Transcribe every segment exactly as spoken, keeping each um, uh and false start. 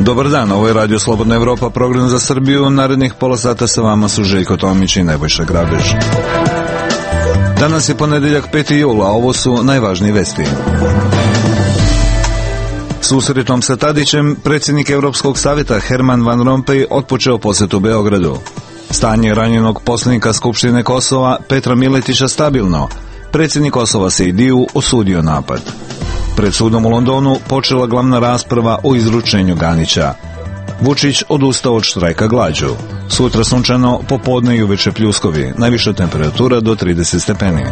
Dobar dan, ovo je Radio Slobodna Evropa, program za Srbiju. Narednih pola sata sa vama su Željko Tomić i Nebojša Grabež. Danas je ponedeljak peti jul, a ovo su najvažnije vesti. Susretom sa Tadićem, predsjednik Europskog savjeta Herman Van Rompuy otpočeo posjetu Beogradu. Stanje ranjenog poslanika Skupštine Kosova Petra Miletića stabilno. Predsjednik Kosova Sejdiju osudio napad. Pred sudom u Londonu počela glavna rasprava o izručenju Ganića. Vučić odustao od štrajka glađu. Sutra sunčano, popodne i uveče pljuskovi. Najviša temperatura do trideset stepeni.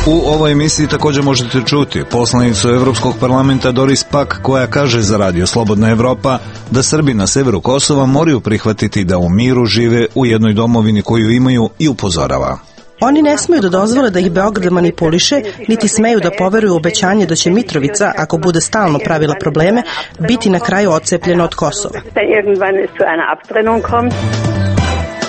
U ovoj emisiji također možete čuti poslanicu Evropskog parlamenta Doris Pack, koja kaže za Radio Slobodna Evropa da Srbi na severu Kosova moraju prihvatiti da u miru žive u jednoj domovini koju imaju i upozorava. Oni ne smeju da dozvole da ih Beograd manipuliše, niti smeju da poveruju u obećanje da će Mitrovica, ako bude stalno pravila probleme, biti na kraju odcepljena od Kosova.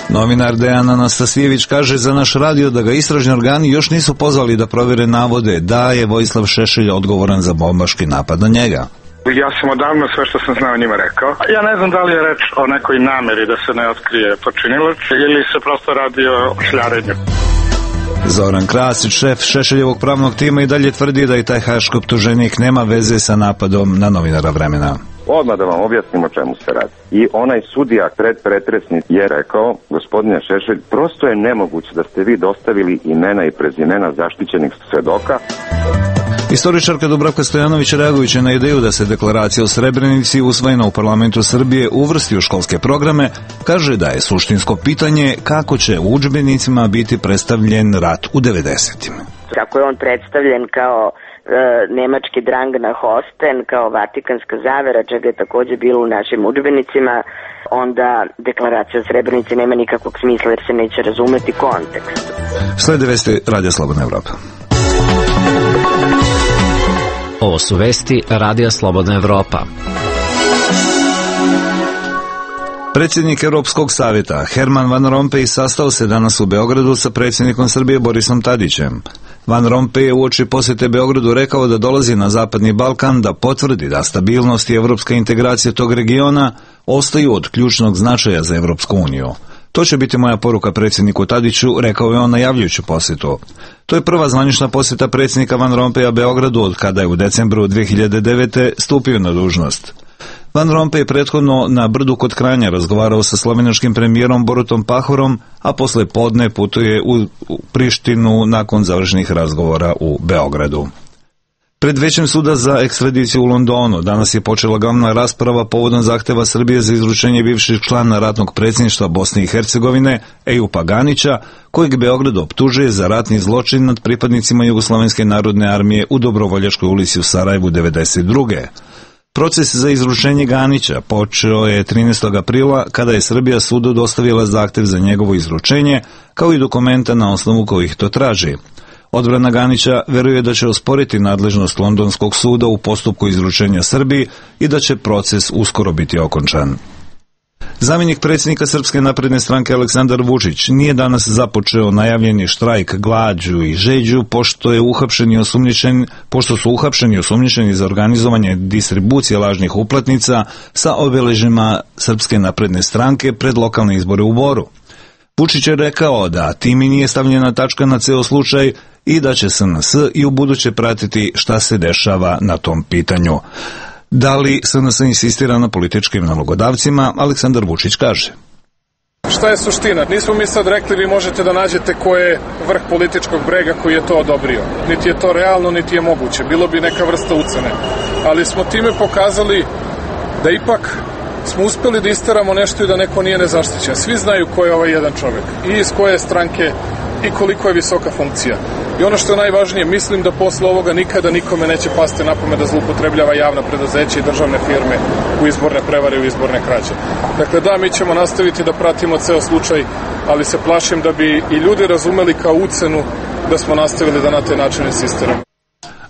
Novinar Dejan Anastasijević kaže za naš radio da ga istražni organi još nisu pozvali da provjere navode da je Vojislav Šešelj odgovoran za bombaški napad na njega. Ja sam odavno sve što sam znao njima rekao. Ja ne znam da li je reč o nekoj nameri da se ne otkrije počinilac ili se prosto radi o šljarenju. Zoran Krasić, šef Šešeljevog pravnog tima, i dalje tvrdi da i taj haški optuženik nema veze sa napadom na novinara Vremena. Odmah da vam objasnim o čemu se radi. I onaj sudija pred pretresnik je rekao, gospodine Šešelj, prosto je nemoguće da ste vi dostavili imena i prezimena zaštićenih svedoka. Istoričarka Dubravka Stojanović, reagujući na ideju da se deklaracija o Srebrenici usvojena u parlamentu Srbije uvrsti u školske programe, kaže da je suštinsko pitanje kako će u udžbenicima biti predstavljen rat u devedesetima. Kako je on predstavljen kao e, nemački drang na Hosten, kao vatikanska zavera, čega je također bilo u našim udžbenicima, onda deklaracija o Srebrenici nema nikakvog smisla jer se neće razumeti kontekst. Slede vesti Radio Slobodna Evropa. Ovo su vesti Radija Slobodna Evropa. Predsjednik Europskog savjeta Herman Van Rompuy sastao se danas u Beogradu sa predsjednikom Srbije Borisom Tadićem. Van Rompuy je uoči posjete Beogradu rekao da dolazi na Zapadni Balkan da potvrdi da stabilnost i evropska integracija tog regiona ostaju od ključnog značaja za Evropsku uniju. To će biti moja poruka predsjedniku Tadiću, rekao je on najavljujući posjetu. To je prva zvanična posjeta predsjednika Van Rompuya Beogradu od kada je u decembru dve hiljade devete. stupio na dužnost. Van Rompuy je prethodno na Brdu kod Kranja razgovarao sa slovenačkim premijerom Borutom Pahorom, a posle podne putuje u Prištinu nakon završenih razgovora u Beogradu. Pred Većem suda za ekstradiciju u Londonu danas je počela glavna rasprava povodom zahteva Srbije za izručenje bivšeg člana ratnog predsjedništva Bosne i Hercegovine Ejupa Ganića, kojeg Beograd optužuje za ratni zločin nad pripadnicima Jugoslovenske narodne armije u Dobrovoljačkoj ulici u Sarajevu devedeset druge. Proces za izručenje Ganića počeo je trinaestog aprila kada je Srbija sudu dostavila zahtev za njegovo izručenje, kao i dokumenta na osnovu kojih to traži. Odbrana Ganića veruje da će osporiti nadležnost Londonskog suda u postupku izručenja Srbiji i da će proces uskoro biti okončan. Zamjenik predsjednika Srpske napredne stranke Aleksandar Vučić nije danas započeo najavljeni štrajk glađu i žeđu pošto je uhapšen i osumnjičen, pošto su uhapšeni i osumnjičeni za organizovanje distribucije lažnih uplatnica sa obeležima Srpske napredne stranke pred lokalne izbore u Boru. Vučić je rekao da time nije stavljena tačka na ceo slučaj i da će S N S i u buduće pratiti šta se dešava na tom pitanju. Da li S N S insistira na političkim nalogodavcima, Aleksandar Vučić kaže. Šta je suština? Nismo mi sad rekli vi možete da nađete ko je vrh političkog brega koji je to odobrio. Niti je to realno, niti je moguće. Bilo bi neka vrsta ucene. Ali smo time pokazali da ipak smo uspeli da isteramo nešto i da neko nije nezaštićen. Svi znaju ko je ovaj jedan čovjek i iz koje stranke i koliko je visoka funkcija. I ono što je najvažnije, mislim da posle ovoga nikada nikome neće pasti na pamet da zloupotrebljava javna preduzeća i državne firme u izborne prevare i u izborne krađe. Dakle, da, mi ćemo nastaviti da pratimo ceo slučaj, ali se plašim da bi i ljudi razumeli kao ucenu da smo nastavili da na taj način insistiramo.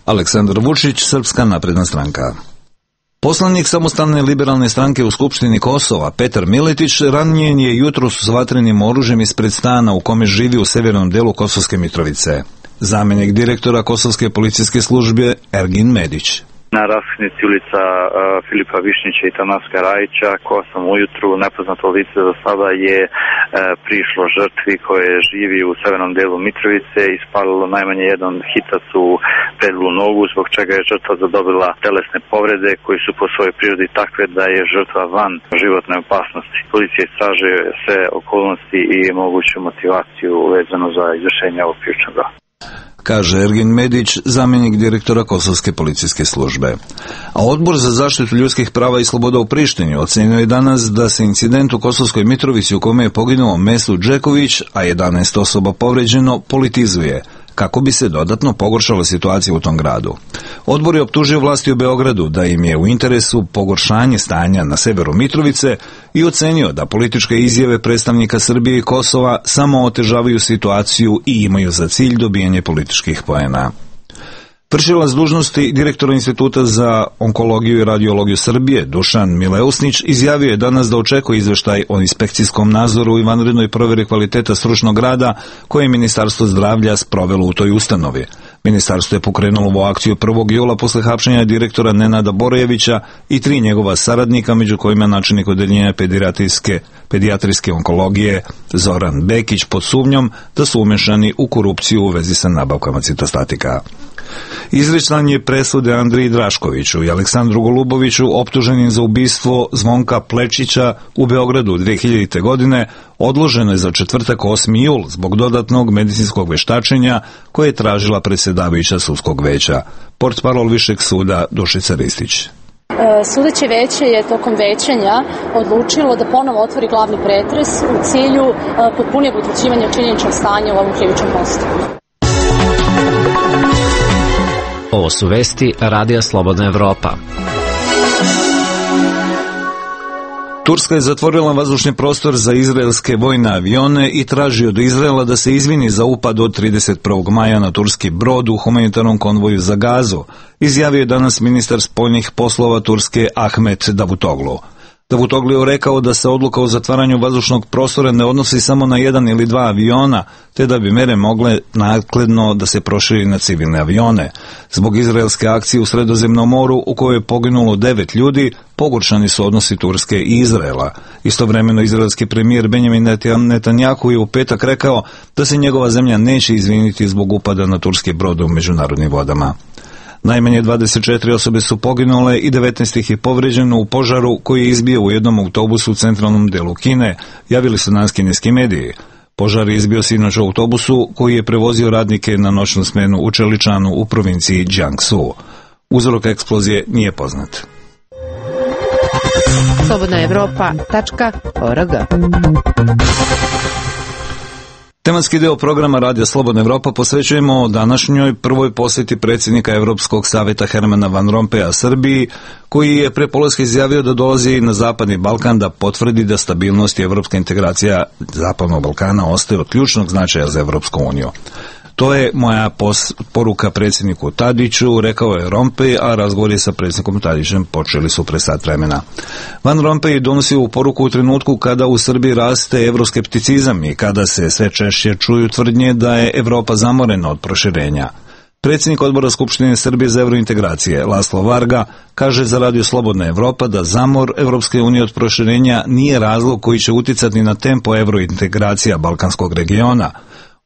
Aleksandar Vučić, Srpska napredna stranka. Poslanik Samostalne liberalne stranke u Skupštini Kosova, Petar Miletić, ranjen je jutros s vatrenim oružjem ispred stana u kome živi u severnom delu Kosovske Mitrovice. Zamjenik direktora Kosovske policijske službe Ergin Medić. na raskrsnici ulica uh, Filipa Višnjića i Tanaska Rajića. Ko osam ujutru, nepoznato lice za sada je uh, prišlo žrtvi koje živi u severnom delu Mitrovice i ispalilo najmanje jedan hitac u prednju nogu, zbog čega je žrtva zadobila telesne povrede koji su po svojoj prirodi takve da je žrtva van životne opasnosti. Policija istražuje sve okolnosti i moguću motivaciju vezano za izvršenje ovog krivičnog dela, kaže Ergin Medić, zamjenik direktora Kosovske policijske službe. A Odbor za zaštitu ljudskih prava i sloboda u Prištini ocenio je danas da se incident u Kosovskoj Mitrovici u kome je poginuo Mesut Džeković, a jedanaest osoba povređeno, politizuje, kako bi se dodatno pogoršala situacija u tom gradu. Odbor je optužio vlasti u Beogradu da im je u interesu pogoršanje stanja na severu Mitrovice i ocenio da političke izjave predstavnika Srbije i Kosova samo otežavaju situaciju i imaju za cilj dobijanje političkih poena. Vršilac dužnosti direktora Instituta za onkologiju i radiologiju Srbije, Dušan Mileusnić, izjavio je danas da očekuje izveštaj o inspekcijskom nadzoru i vanrednoj provjeri kvaliteta stručnog rada koje je Ministarstvo zdravlja sprovelo u toj ustanovi. Ministarstvo je pokrenulo ovu akciju prvog jula posle hapšenja direktora Nenada Borojevića i tri njegova saradnika, među kojima načelnik odeljenja pedijatrijske, pedijatrijske onkologije Zoran Bekić, pod sumnjom da su umešani u korupciju u vezi sa nabavkama citostatika. Izricanje presude Andriji Draškoviću i Aleksandru Goluboviću, optuženim za ubistvo Zvonka Plečića u Beogradu dve hiljadite. godine, odloženo je za četvrtak osmi jul zbog dodatnog medicinskog veštačenja koje je tražila predsjedavajuća sudskog veća. Portparol Višeg suda Dušica Ristić. Sudeće veće je tokom većanja odlučilo da ponovo otvori glavni pretres u cilju potpunijeg utvrđivanja činjeničnog stanja u ovom krivičnom postupku. Ovo su vesti Radija Slobodna Evropa. Turska je zatvorila vazdušni prostor za izraelske vojne avione i traži od Izraela da se izvini za upad od trideset prvog maja na turski brod u humanitarnom konvoju za Gazu, izjavio je danas ministar spoljnih poslova Turske Ahmet Davutoglu. Davutoglu je rekao da se odluka o zatvaranju vazdušnog prostora ne odnosi samo na jedan ili dva aviona, te da bi mere mogle naknadno da se proširi na civilne avione. Zbog izraelske akcije u Sredozemnom moru, u kojoj je poginulo devet ljudi, pogoršani su odnosi Turske i Izraela. Istovremeno izraelski premijer Benjamin Netanjahu je u petak rekao da se njegova zemlja neće izviniti zbog upada na turski brod u međunarodnim vodama. Najmanje dvadeset četiri osobe su poginule i devetnaest ih je povređeno u požaru koji je izbio u jednom autobusu u centralnom delu Kine, javili su nas kineski mediji. Požar je izbio sinoć u autobusu koji je prevozio radnike na noćnu smenu u Čeličanu u provinciji Jiangsu. Uzrok eksplozije nije poznat. slobodna evropa tačka org. Tematski deo programa Radija Slobodna Evropa posvećujemo današnjoj prvoj posjeti predsjednika Evropskog savjeta Hermana Van Rompuya Srbiji, koji je pre polaska izjavio da dolazi na Zapadni Balkan da potvrdi da stabilnost i evropska integracija Zapadnog Balkana ostaje od ključnog značaja za Evropsku uniju. To je moja poruka predsjedniku Tadiću, rekao je Rompuy, a razgovori sa predsjednikom Tadićem počeli su pre sat vremena. Van Rompuy donosi ovu poruku u trenutku kada u Srbiji raste evroskepticizam i kada se sve češće čuju tvrdnje da je Evropa zamorena od proširenja. Predsjednik odbora Skupštine Srbije za evrointegracije, Laslo Varga, kaže za Radio Slobodna Evropa da zamor Evropske unije od proširenja nije razlog koji će uticati na tempo evrointegracija balkanskog regiona.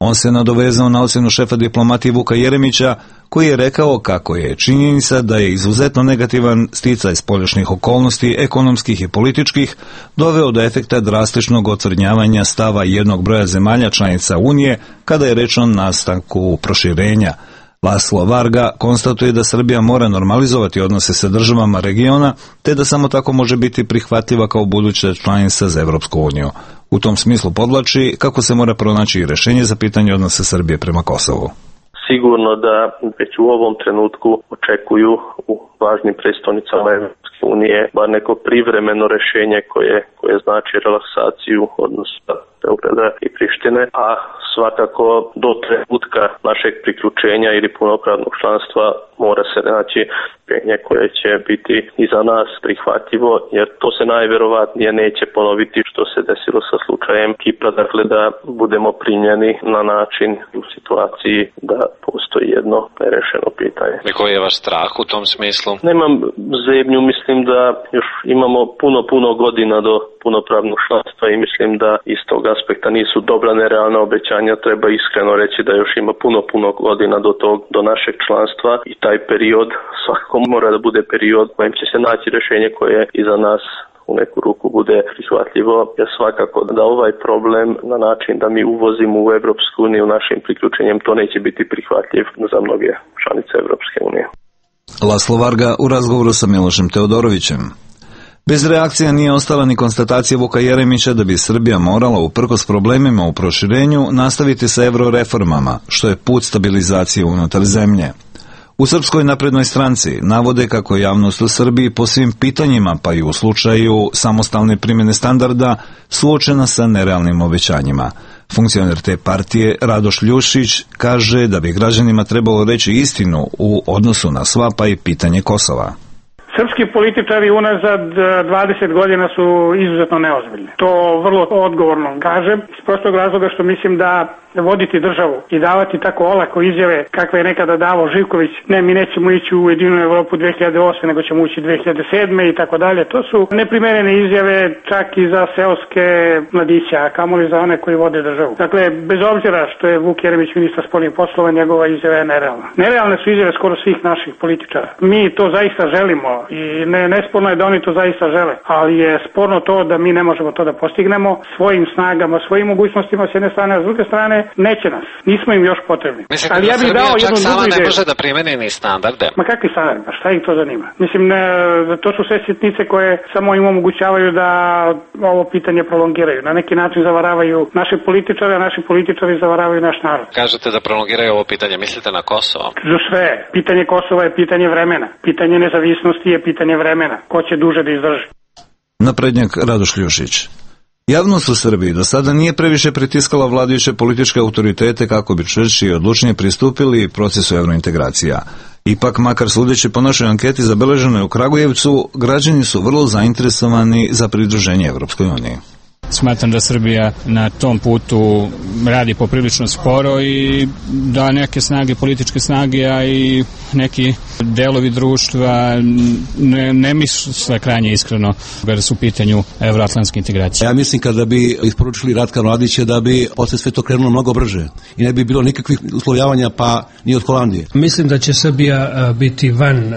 On se nadovezao na ocjenu šefa diplomatije Vuka Jeremića, koji je rekao kako je činjenica da je izuzetno negativan sticaj spoljašnjih okolnosti, ekonomskih i političkih, doveo do efekta drastičnog ocrnjavanja stava jednog broja zemalja članica Unije kada je reč o nastanku proširenja. Laslo Varga konstatuje da Srbija mora normalizovati odnose sa državama regiona, te da samo tako može biti prihvatljiva kao buduća članica za Evropsku uniju. U tom smislu podvlači kako se mora pronaći i rešenje za pitanje odnosa Srbije prema Kosovu. Sigurno da već u ovom trenutku očekuju u važnim prestolnicama Evropske unije bar neko privremeno rešenje koje, koje znači relaksaciju odnosa Beograda i Prištine, a svakako do trenutka našeg priključenja ili punopravnog članstva mora se naći rješenje koje će biti i za nas prihvatljivo, jer to se najverovatnije neće ponoviti što se desilo sa slučajem Kipra, dakle da budemo primljeni na način u situaciji da postoji jedno nerešeno pitanje. I koji je vaš strah u tom smislu? Nemam zebnju, mislim da još imamo puno, puno godina do punopravnog članstva i mislim da iz tog aspekta nisu dobra nerealna obećanja, treba iskreno reći da još ima puno, puno godina do tog, do našeg članstva i taj period svakako mora da bude period kojim će se naći rješenje koje i za nas u neku ruku bude prihvatljivo, jer svakako da ovaj problem na način da mi uvozimo u Evropsku uniju našim priključenjem, to neće biti prihvatljiv za mnoge članice Evropske unije. Laslo Varga u razgovoru sa Milošem Teodorovićem. Bez reakcija nije ostala ni konstatacija Vuka Jeremića da bi Srbija morala, uprkos problemima u proširenju, nastaviti sa euroreformama, što je put stabilizacije unutar zemlje. U Srpskoj naprednoj stranci navode kako je javnost u Srbiji po svim pitanjima, pa i u slučaju samostalne primjene standarda, suočena sa nerealnim obećanjima. Funkcioner te partije Radoš Ljušić kaže da bi građanima trebalo reći istinu u odnosu na sva, pa i pitanje Kosova. Srpski političari unazad dvadeset godina su izuzetno neozbiljni. To vrlo odgovorno kažem, iz prostog razloga što mislim da voditi državu i davati tako olako izjave kakve je nekada davao Živković, ne, mi nećemo ići u Ujedinjenu Evropu dve hiljade osme, nego ćemo ući dve hiljade sedme i tako dalje. To su neprimerene izjave čak i za seoske mladiće, a kamoli za one koji vode državu. Dakle, bez obzira što je Vuk Jeremić ministar spoljnih poslova, njegova izjava je nerealna. Nerealne su izjave skoro svih naših političara. Mi to zaista želimo i ne, nesporno je da oni to zaista žele, ali je sporno to da mi ne možemo to da postignemo svojim snagama, svojim mogućnostima s jedne strane, a s druge strane neće nas. Nismo im još potrebni. Mislite ali da ja bih Srbija dao čak jednu sama drugu ne ideju. može da primeni ni standarde? Ma kakvi standardi? Pa šta ih to zanima? Mislim, ne, to su sve sitnice koje samo im omogućavaju da ovo pitanje prolongiraju. Na neki način zavaravaju naše političare, a naši političari zavaravaju naš narod. Kažete da prolongiraju ovo pitanje, mislite na Kosovo? Za sve. Pitanje Kosova je pitanje vremena. Pitanje nezavisnosti je pitanje vremena. Ko će duže da izdrži? Naprednjak Radoš Ljušić. Javnost u Srbiji do sada nije previše pritiskala vladajuće političke autoritete kako bi čvršće i odlučnije pristupili procesu evrointegracija. Ipak, makar sudeći po našoj anketi zabeleženoj u Kragujevcu, građani su vrlo zainteresovani za pridruženje Evropskoj uniji. Smatram da Srbija na tom putu radi poprilično sporo i da neke snage, političke snage, a i neki delovi društva ne, ne misle krajnje iskreno kada su u pitanju evroatlantske integracije. Ja mislim kada bi isporučili Ratka Mladića da bi posle sve to krenulo mnogo brže i ne bi bilo nikakvih uslovljavanja pa ni od Holandije. Mislim da će Srbija biti van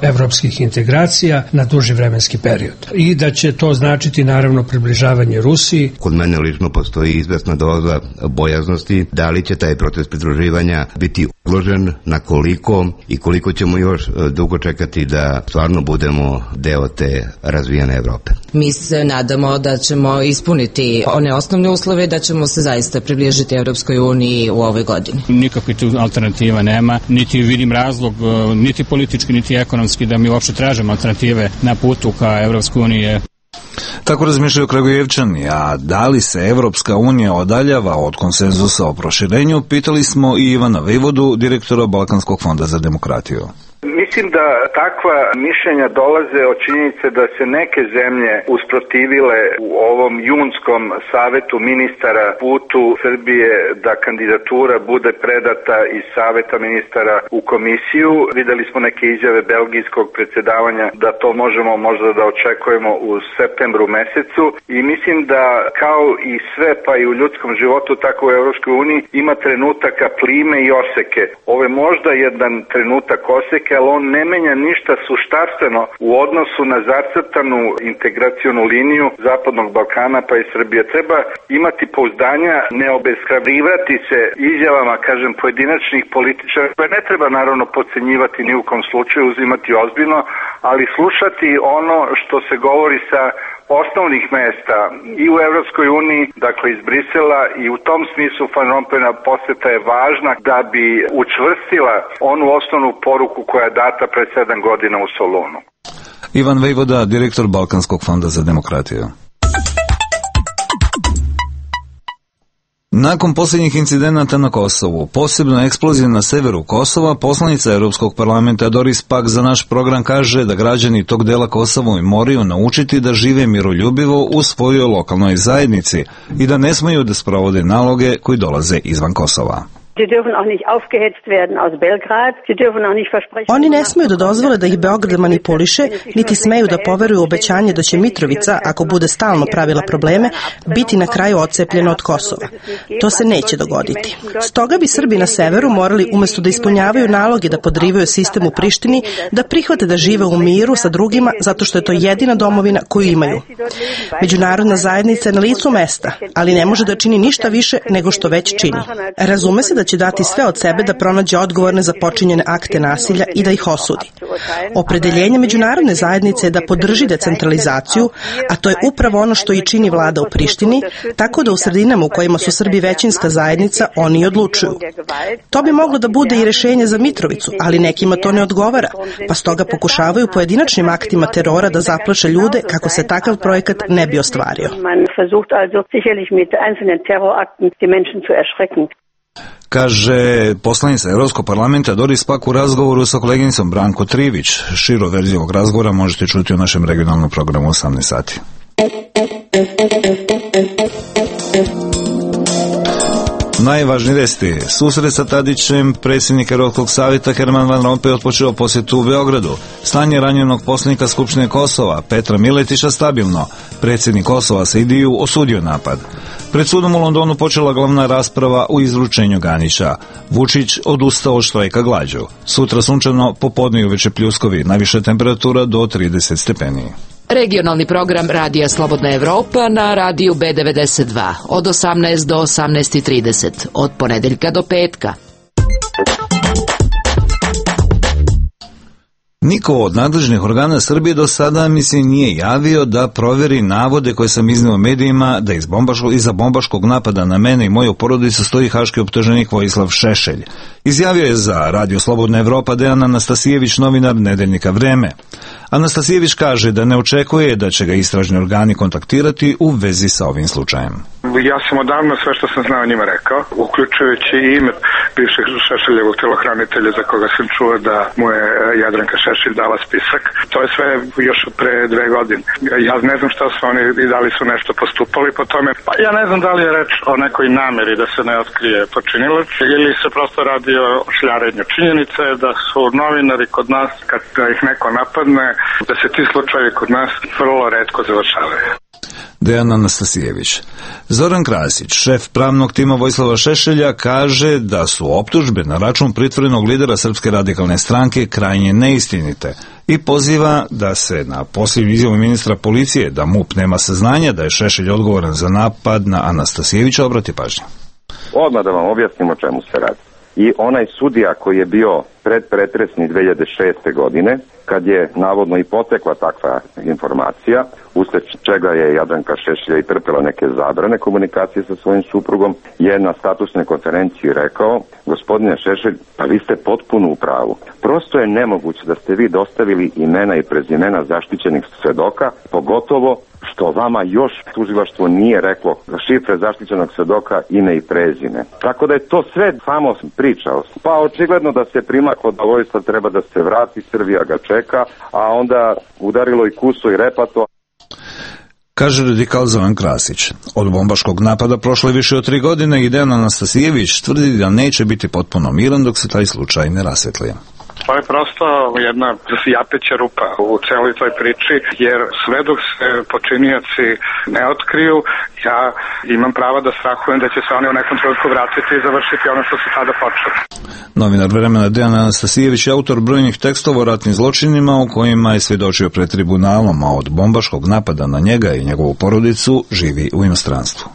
evropskih integracija na duži vremenski period i da će to značiti naravno približavanje Rusiji. Kod mene lično postoji izvesna doza bojaznosti da li će taj proces pridruživanja biti odložen, na koliko i koliko ćemo još dugo čekati da stvarno budemo deo te razvijene Evrope. Mi se nadamo da ćemo ispuniti one osnovne uslove, da ćemo se zaista približiti Evropskoj uniji u ovoj godini. Nikakve tu alternativa nema, niti vidim razlog, niti politički, niti ekonomski da mi uopšte tražimo alternative na putu ka Evropskoj uniji. Tako razmišljaju Kragujevčani, a da li se Evropska unija odaljava od konsenzusa o proširenju, pitali smo i Ivana Vejvodu, direktora Balkanskog fonda za demokratiju. Mislim da takva mišljenja dolaze od činjenice da se neke zemlje usprotivile u ovom junskom savetu ministara putu Srbije da kandidatura bude predata iz saveta ministara u komisiju. Videli smo neke izjave belgijskog predsjedavanja da to možemo možda da očekujemo u septembru mesecu i mislim da kao i sve pa i u ljudskom životu tako u Evropskoj uniji ima trenutaka plime i oseke. Ovo je možda jedan trenutak oseke, ali on ne menja ništa suštarstveno u odnosu na zacrtanu integracionu liniju Zapadnog Balkana pa i Srbije. Treba imati pouzdanja, ne obeshrabrivati se izjavama, kažem, pojedinačnih političara, koje ne treba naravno podcenjivati ni u kom slučaju, uzimati ozbiljno, ali slušati ono što se govori sa osnovnih mesta i u Evropskoj uniji, dakle iz Brisela, i u tom smislu Van Rompuyna poseta je važna da bi učvrstila onu osnovnu poruku koja je data pred sedam godina u Solunu. Ivan Vejvoda, direktor Balkanskog fonda za demokratiju. Nakon posljednjih incidenata na Kosovu, posebno eksplozije na severu Kosova, poslanica Europskog parlamenta Doris Pack za naš program kaže da građani tog dela Kosova moraju naučiti da žive miroljubivo u svojoj lokalnoj zajednici i da ne smiju da sprovode naloge koji dolaze izvan Kosova. Oni ne smeju da dozvole da ih Beograd manipuliše, niti smeju da poveruju obećanje da će Mitrovica, ako bude stalno pravila probleme, biti na kraju odcepljena od Kosova. To se neće dogoditi. Stoga bi Srbi na severu morali, umesto da ispunjavaju naloge da podrivaju sistem u Prištini, da prihvate da žive u miru sa drugima zato što je to jedina domovina koju imaju. Međunarodna zajednica je na licu mesta, ali ne može da čini ništa više nego što već čini. Razume se da će dati sve od sebe da pronađe odgovorne za počinjene akte nasilja i da ih osudi. Opredeljenje međunarodne zajednice je da podrži decentralizaciju, a to je upravo ono što i čini vlada u Prištini, tako da u sredinama u kojima su Srbi većinska zajednica oni odlučuju. To bi moglo da bude i rešenje za Mitrovicu, ali nekima to ne odgovara, pa stoga pokušavaju pojedinačnim aktima terora da zaplaše ljude kako se takav projekat ne bi ostvario. Kaže poslanica Europskog parlamenta Doris Pack u razgovoru sa koleginicom Branko Trivić. Širu verziju ovog razgovora možete čuti u našem regionalnom programu osamnaest sati. Najvažniji vesti. Susret sa Tadićem, predsjednik Europskog savjeta Herman Van Rompuy otpočeo posjetu u Beogradu. Stanje ranjenog poslanika Skupštine Kosova, Petra Miletića, stabilno. Predsjednik Kosova Saidiju osudio napad. Pred sudom u Londonu počela glavna rasprava o izručenju Ganića. Vučić odustao od štrajka glađu. Sutra sunčano, popodne i uveče pljuskovi, najviša temperatura do trideset stepeni. Regionalni program Radija Slobodna Evropa na radiju B devedeset dva od osamnaest do osamnaest trideset, od ponedeljka do petka. Niko od nadležnih organa Srbije do sada mi se nije javio da proveri navode koje sam izneo medijima da iz bombaškog, iza bombaškog napada na mene i moju porodicu stoji haški optuženik Vojislav Šešelj. Izjavio je za Radio Slobodna Evropa Dejan Anastasijević, novinar Nedeljnika Vreme. Anastasijević kaže da ne očekuje da će ga istražni organi kontaktirati u vezi sa ovim slučajem. Ja sam odavno sve što sam znao njima rekao, uključujući i ime bivšeg Šešeljevog telohranitelja za koga sam čuo da mu je Jadranka Šešelj dala spisak. To je sve još od pre dve godine. Ja ne znam šta su oni i da li su nešto postupali po tome. Pa ja ne znam da li je reč o nekoj nameri da se ne otkrije počinilac ili se prosto radi o šljarenju. Činjenica je da su novinari kod nas, kad ih neko napadne, da se ti slučajevi kod nas vrlo retko završavaju. Dejan Anastasijević. Zoran Krasić, šef pravnog tima Vojislava Šešelja, kaže da su optužbe na račun pritvorenog lidera Srpske radikalne stranke krajnje neistinite i poziva da se na posljednju izjavu ministra policije da MUP nema saznanja da je Šešelj odgovoran za napad na Anastasijevića obrati pažnju. Odmah da vam objasnimo čemu se radi. I onaj sudija koji je bio predpretresni dve hiljade šeste godine, kad je navodno i potekla takva informacija, usled čega je Jadranka Šešelja i trpela neke zabrane komunikacije sa svojim suprugom, je na statusnoj konferenciji rekao: gospodine Šešelj, pa vi ste potpuno u pravu. Prosto je nemoguće da ste vi dostavili imena i prezimena zaštićenih svedoka, pogotovo što vama još tužilaštvo nije reklo šifre zaštićenog svedoka, ime i prezime. Tako da je to sve samo pričao. Pa očigledno da se primaklo da Vojislav treba da se vrati, Srbija ga čeka, a onda udarilo i kuso i repato. Kaže radikal Zoran Krasić. Od bombaškog napada prošle više od tri godine i Dejan Anastasijević tvrdi da neće biti potpuno miran dok se taj slučaj ne rasvetli. To je prosto jedna japeća rupa u celoj toj priči, jer sve dok se počinioci ne otkriju, ja imam pravo da strahujem da će se oni u nekom trenutku vratiti i završiti ono što su tada počeli. Novinar Vremena Dejan Anastasijević je autor brojnih tekstova o ratnim zločinima u kojima je svjedočio pred tribunalom, a od bombaškog napada na njega i njegovu porodicu živi u inostranstvu.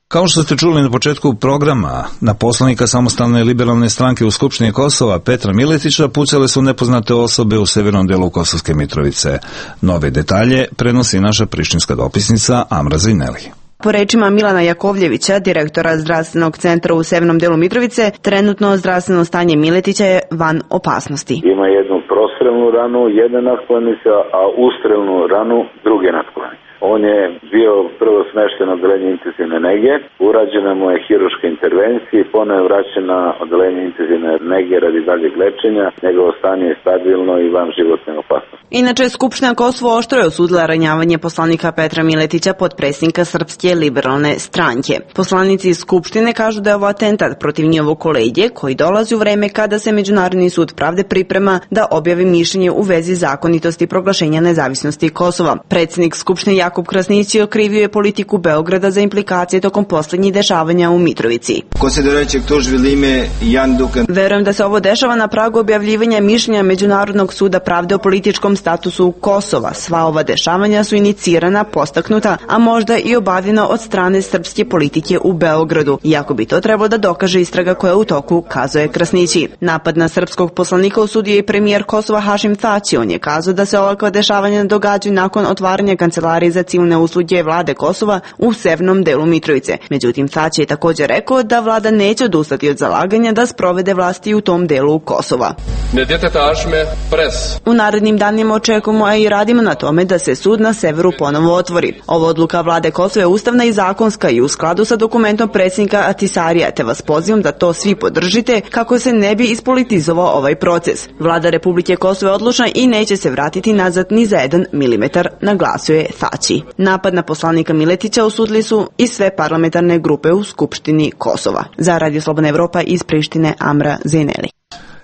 Kao što ste čuli na početku programa, na poslanika Samostalne liberalne stranke u Skupštini Kosova Petra Miletića pucale su nepoznate osobe u severnom delu Kosovske Mitrovice. Nove detalje prenosi naša prištinska dopisnica Amra Zineli. Po rečima Milana Jakovljevića, direktora zdravstvenog centra u severnom delu Mitrovice, trenutno zdravstveno stanje Miletića je van opasnosti. Ima jednu prostrelnu ranu, jedna natkovanica, a ustrelnu ranu druge natkovanice. On je bio prvo smešten na odelenje intenzivne nege, urađena mu je hiruška intervencija i ponovo je vraćen na odelenje intenzivne nege radi daljeg lečenja. Njegovo stanje je stabilno i van životne opasnosti. Inače, Skupština Kosovo oštro je osudila ranjavanje poslanika Petra Miletića, potpredsjednika Srpske liberalne stranke. Poslanici iz Skupštine kažu da je ovo atentat protiv njihovog kolege koji dolazi u vreme kada se Međunarodni sud pravde priprema da objavi mišljenje u vezi zakonitosti proglašenja nezavisnosti Kosova. Predsjednik Skupštine Jakub Krasnići okrivio je politiku Beograda za implikacije tokom poslednjih dešavanja u Mitrovici. Verujem da se ovo dešava na pragu objavljivanja mišljenja Međunarodnog suda pravde o političkom statusu Kosova. Sva ova dešavanja su inicirana, postaknuta, a možda i obavljena od strane srpske politike u Beogradu, iako bi to trebalo da dokaže istraga koja je u toku, kazuje Krasnići. Napad na srpskog poslanika osudio je i premijer Kosova Hašim Tači. On je kazao da se ovakva dešavanja događaju nakon otvaranja kancelarije za civilne usluge vlade Kosova u severnom delu Mitrovice. Međutim, Tači je također rekao da vlada neće odustati od zalaganja da sprovede vlasti u tom delu Kosova. U narednim danima očekujemo, a i radimo na tome da se sud na severu ponovo otvori. Ova odluka vlade Kosova je ustavna i zakonska i u skladu sa dokumentom predsjednika Atisarija, te vas pozivam da to svi podržite kako se ne bi ispolitizovao ovaj proces. Vlada Republike Kosovo je odlučna i neće se vratiti nazad ni za jedan milimetar, naglasio je Tači. Napad na poslanika Miletića osudili su i sve parlamentarne grupe u Skupštini Kosova. Za Radio Slobodna Evropa iz Prištine, Amra Zeneli.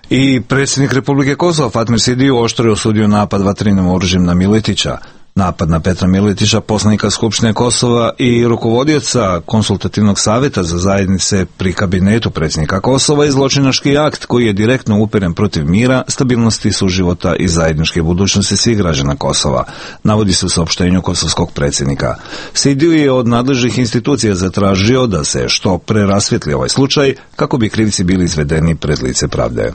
I predsjednik Republike Kosova Fatmir Sidiju oštro je osudio napad vatrenim oružjem na Miletića. Napad na Petra Miletića, poslanika Skupštine Kosova i rukovodioca konsultativnog savjeta za zajednice pri kabinetu predsjednika Kosova je zločinački akt koji je direktno uperen protiv mira, stabilnosti suživota i zajedničke budućnosti svih građana Kosova, navodi se u saopštenju kosovskog predsjednika. Sidiju je od nadležnih institucija zatražio da se što pre rasvijetli ovaj slučaj kako bi krivci bili izvedeni pred lice pravde.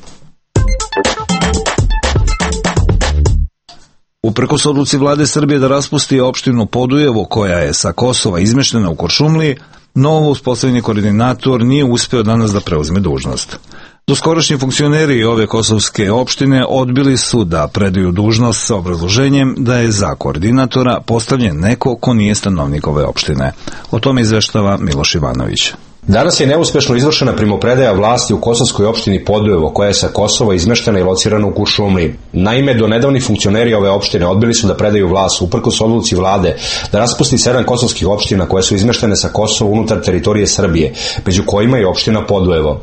Uprkos odluci vlade Srbije da raspusti opštinu Podujevo koja je sa Kosova izmeštena u Kuršumliji, novo uspostavljeni koordinator nije uspeo danas da preuzme dužnost. Doskorašnji funkcioneri ove kosovske opštine odbili su da predaju dužnost sa obrazloženjem da je za koordinatora postavljen neko ko nije stanovnik ove opštine. O tome izveštava Miloš Ivanović. Danas je neuspešno izvršena primopredaja vlasti u kosovskoj opštini Podujevo, koja je sa Kosova izmeštena i locirana u Kuršumliji. Naime, do nedavni funkcioneri ove opštine odbili su da predaju vlast uprkos odluci vlade da raspusti sedam kosovskih opština koje su izmeštene sa Kosova unutar teritorije Srbije, među kojima je opština Podujevo.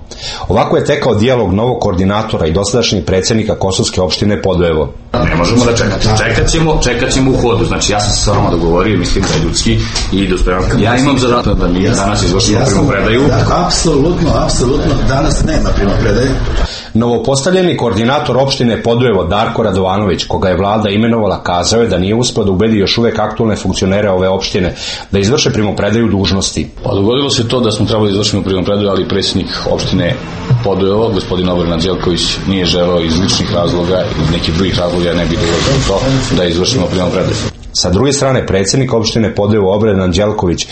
Ovako je tekao dijalog novog koordinatora i dosadašnjeg predsjednika kosovske opštine Podujevo. Ne možemo da čekati. Čekat ćemo, čekat ćemo u hodu. Znači, ja sam se sa vama dogovorio, mislim da je ljudski i dospevam. Ja imam zadatak da mi danas izvršimo primopredaju. Da, apsolutno, apsolutno. Danas nema primopredaje. Novopostavljeni koordinator opštine Podujevo Darko Radovanović, koga je vlada imenovala, kazao je da nije uspeo da ubedi još uvek aktualne funkcionere ove opštine da izvrše primopredaju dužnosti. Pa dogodilo se to da smo trebali izvršiti primopredaju, ali predsjednik opštine Podujevo, gospodin Obrena Anđelković, nije želeo iz ličnih razloga i iz nekih drugih razloga, ne bi dolazio to da izvršimo primopredaju. Sa druge strane, predsjednik opštine Podujevo Obrena Anđelković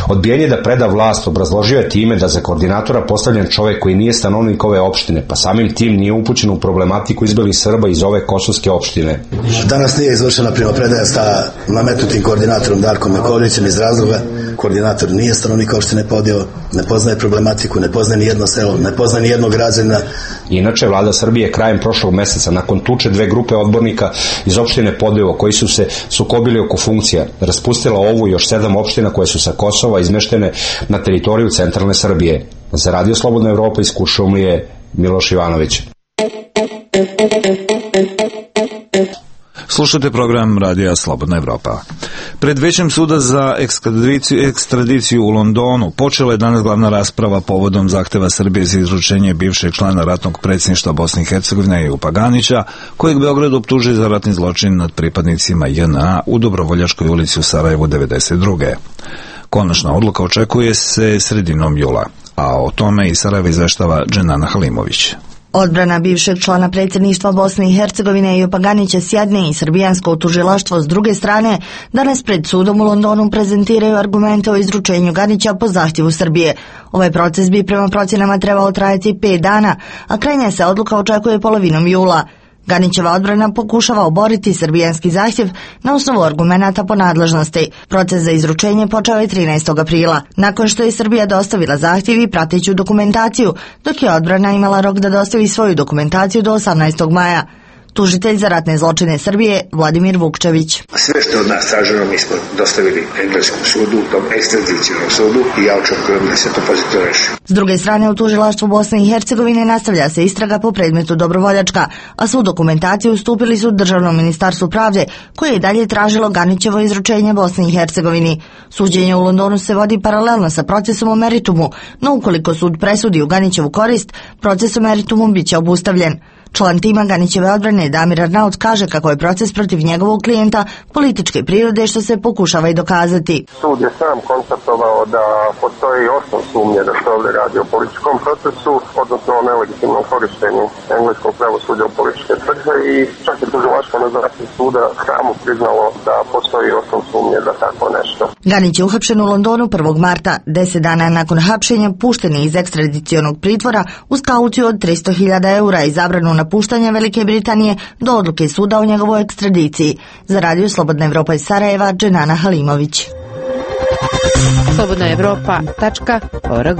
odbijenje da preda vlast obrazložio je time da za koordinatora postavljen čovjek koji nije stanovnik ove opštine, pa samim tim nije upućen u problematiku izbelih Srba iz ove kosovske opštine. Danas nije izvršena primopredaja sa nametnutim koordinatorom Darkom Jakovljevićem iz razloga. Koordinator nije stanovnik opštine Podujevo, ne poznaje problematiku, ne poznaje ni jedno selo, ne poznaje ni jednog građanina. Inače, vlada Srbije krajem prošlog meseca, nakon tuče dve grupe odbornika iz opštine Podujevo koji su se sukobili oko funkcija, raspustila ovu još sedam opština koje su sa Kosova izmeštene na teritoriju centralne Srbije. Za Radio Slobodna Evropa iz Kuršumlije, Miloš Ivanović. Slušate program Radija Slobodna Evropa. Pred Većem suda za ekstradiciju, ekstradiciju u Londonu počela je danas glavna rasprava povodom zahteva Srbije za izručenje bivšeg člana ratnog predsjedništva Bosne i Hercegovine Ejupa Ganića, kojeg Beograd optužuje za ratni zločin nad pripadnicima J N A u Dobrovoljačkoj ulici u Sarajevu devedeset druge. Konačna odluka očekuje se sredinom jula, a o tome i Sarajeva izveštava Dženana Halimović. Odbrana bivšeg člana predsjedništva Bosne i Hercegovine Ejupa Ganića s jedne i srbijansko tužilaštvo s druge strane danas pred sudom u Londonu prezentiraju argumente o izručenju Ganića po zahtjevu Srbije. Ovaj proces bi prema procjenama trebao trajati pet dana, a krajnja se odluka očekuje polovinom jula. Ganićeva odbrana pokušava oboriti srbijanski zahtjev na osnovu argumenata po nadležnosti. Proces za izručenje počeo je trinaestog aprila, nakon što je Srbija dostavila zahtjev i prateću dokumentaciju, dok je odbrana imala rok da dostavi svoju dokumentaciju do osamnaestog maja. Tužitelj za ratne zločine Srbije, Vladimir Vukčević. Sve što je od nas traženo mi smo dostavili engleskom sudu, tom ekstradicionom sudu i ja očekujem da se to pozitivno reši. S druge strane, u tužilaštvu Bosne i Hercegovine nastavlja se istraga po predmetu Dobrovoljačka, a svu dokumentaciju ustupili su Državnom ministarstvu pravde, koje je dalje tražilo Ganićevo izručenje Bosni i Hercegovini. Suđenje u Londonu se vodi paralelno sa procesom o meritumu, no ukoliko sud presudi u Ganićevu korist, proces o meritumu biće obustavljen. Član tima Ganićeve odbrane Damir Arnaut kaže kako je proces protiv njegovog klijenta političke prirode što se pokušava i dokazati. Sud je sam konstatovao da postoji osnov sumnje da se ovdje radi o političkom procesu, odnosno o nelegitimnom korištenju engleskog pravosuđa u političke svrhe i čak je tužilaštvo na zahtjev suda samo priznalo da postoji osnov sumnje da tako nešto. Ganić je uhapšen u Londonu prvog marta, deset dana nakon hapšenja pušten je iz ekstradicionog pritvora uz kauciju od tristo hiljada eura i zabranu napuštanja Velike Britanije do odluke suda o njegovoj ekstradiciji. Za Radio Slobodna Evropa iz Sarajeva, Dženana Halimović. slobodna evropa tačka org.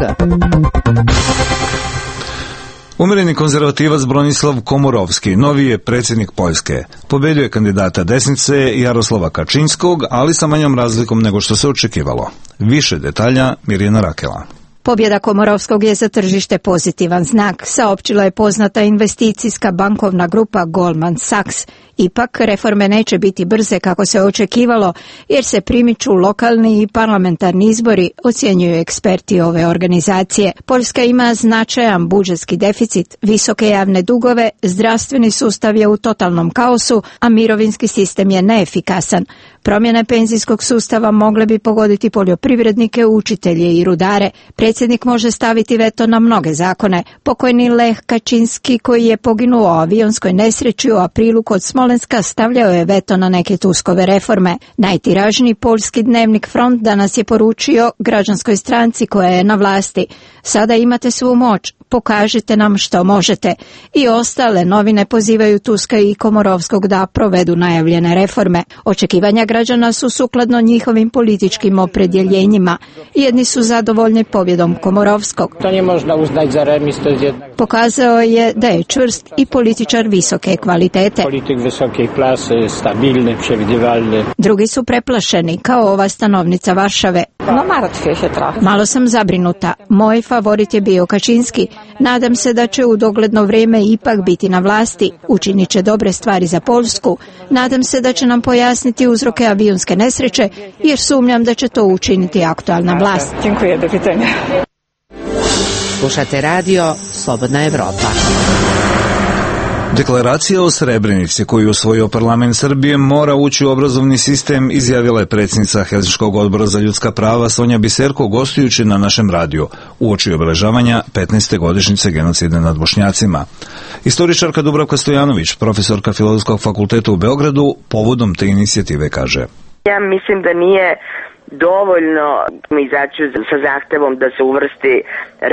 Umereni konzervativac Bronislav Komorovski, novi je predsjednik Poljske. Pobedio je kandidata desnice Jaroslava Kačinskog, ali sa manjom razlikom nego što se očekivalo. Više detalja Mirjana Rakela. Pobjeda Komorovskog je za tržište pozitivan znak, saopćila je poznata investicijska bankovna grupa Goldman Sachs. Ipak, reforme neće biti brze kako se očekivalo, jer se primiču lokalni i parlamentarni izbori, ocjenjuju eksperti ove organizacije. Poljska ima značajan budžetski deficit, visoke javne dugove, zdravstveni sustav je u totalnom kaosu, a mirovinski sistem je neefikasan. Promjene penzijskog sustava mogle bi pogoditi poljoprivrednike, učitelje i rudare. Predsjednik može staviti veto na mnoge zakone. Pokojni Lech Kačinski, koji je poginuo u avionskoj nesreći u aprilu kod Smolenska, stavljao je veto na neke Tuskove reforme. Najtiražniji poljski dnevnik Front danas je poručio građanskoj stranci koja je na vlasti: sada imate svu moć, pokažite nam što možete. I ostale novine pozivaju Tuska i Komorovskog da provedu najavljene reforme. Očekivanja građana su sukladno njihovim političkim opredjeljenjima. Jedni su zadovoljni pobjedom Komorovskog. To nie można uznać za remis, to jest jednak... Pokazao je da je čvrst i političar visoke kvalitete. Politik visoke klase, stabilny, przewidywalny. Drugi su preplašeni, kao ova stanovnica Varšave. No martwię się trochę. Malo sam zabrinuta. Moj favorit je bio Kačinski. Nadam se da će u dogledno vrijeme ipak biti na vlasti. Učinit će dobre stvari za Poljsku. Nadam se da će nam pojasniti uzroke avionske nesreće, jer sumnjam da će to učiniti aktualna vlast. Dziękuję, do widzenia. Slušate radio Slobodna Evropa. Deklaracija o Srebrenici koju je usvojio parlament Srbije mora ući u obrazovni sistem, izjavila je predsjednica Helsinškog odbora za ljudska prava Sonja Biserko gostujući na našem radiju uoči obeležavanja petnaeste godišnjice genocida nad Bošnjacima. Istoričarka Dubravka Stojanović, profesorka Filozofskog fakulteta u Beogradu, povodom te inicijative kaže: ja mislim da nije dovoljno izaći sa zahtevom da se uvrsti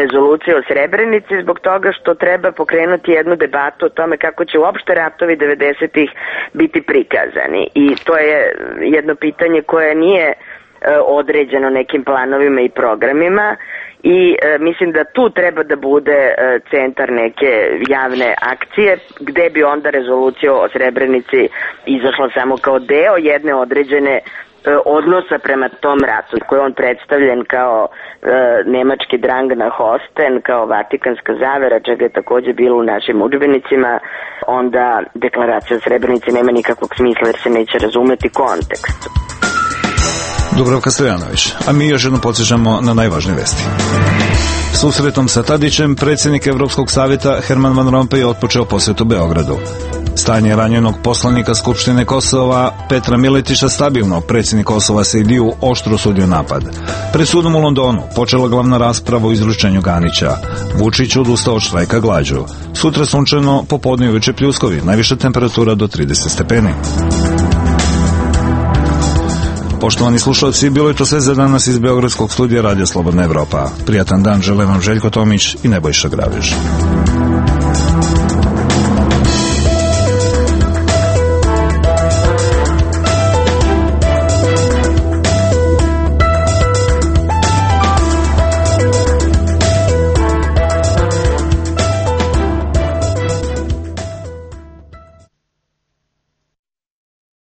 rezolucija o Srebrenici zbog toga što treba pokrenuti jednu debatu o tome kako će uopšte ratovi devedesetih biti prikazani. I to je jedno pitanje koje nije određeno nekim planovima i programima i e, mislim da tu treba da bude e, centar neke javne akcije gde bi onda rezolucija o Srebrenici izašla samo kao deo jedne određene odnosa prema tom ratu, koji je on predstavljen kao e, nemački drang na Hosten, kao vatikanska zavera, čega je također bilo u našim udžbenicima, onda deklaracija o Srebrenici nema nikakvog smisla jer se neće razumeti kontekst. Dubravka Stojanović, a mi još jednom podsjećamo na najvažnije vesti. Susretom sa Tadićem, predsjednik Evropskog savjeta Herman Van Rompuy otpočeo posjetu Beogradu. Stanje ranjenog poslanika Skupštine Kosova Petra Miletića stabilno, predsjednik Kosova Sejdiju oštro osudio napad. Pred sudom u Londonu počela glavna rasprava o izručenju Ganića. Vučić odustao od štrajka glađu. Sutra sunčano, popodne i uveče pljuskovi, najviša temperatura do trideset stepeni. Poštovani slušalci, bilo je to sve za danas iz Beogradskog studija Radio Slobodna Evropa. Prijatan dan žele vam Željko Tomić i Nebojša Graviš.